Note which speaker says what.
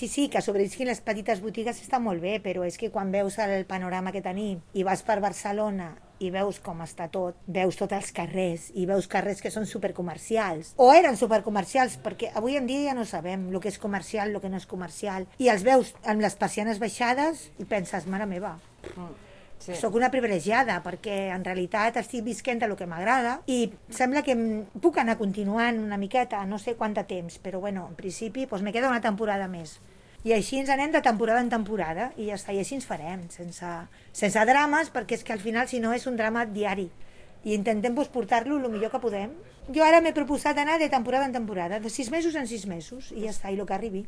Speaker 1: sí, que sobrevisquin les petites botigues està molt bé, però és que quan veus el panorama que tenim i vas per Barcelona i veus com està tot, veus tots els carrers i veus carrers que són supercomercials o eren supercomercials, perquè avui en dia ja no sabem el que és comercial, el que no és comercial, i els veus amb les persianes baixades i penses, mare meva, sí. Soc una privilegiada perquè en realitat estic visquent el que m'agrada i sembla que puc anar continuant una miqueta, no sé quant de temps, però bueno, en principi doncs me queda una temporada més. I així ens anem de temporada en temporada i ja està, i així ens farem, sense drames, perquè és que al final si no és un drama diari i intentem portar-lo el millor que podem. Jo ara m'he proposat anar de temporada en temporada, de 6 mesos en 6 mesos, i ja està, i el que arribi.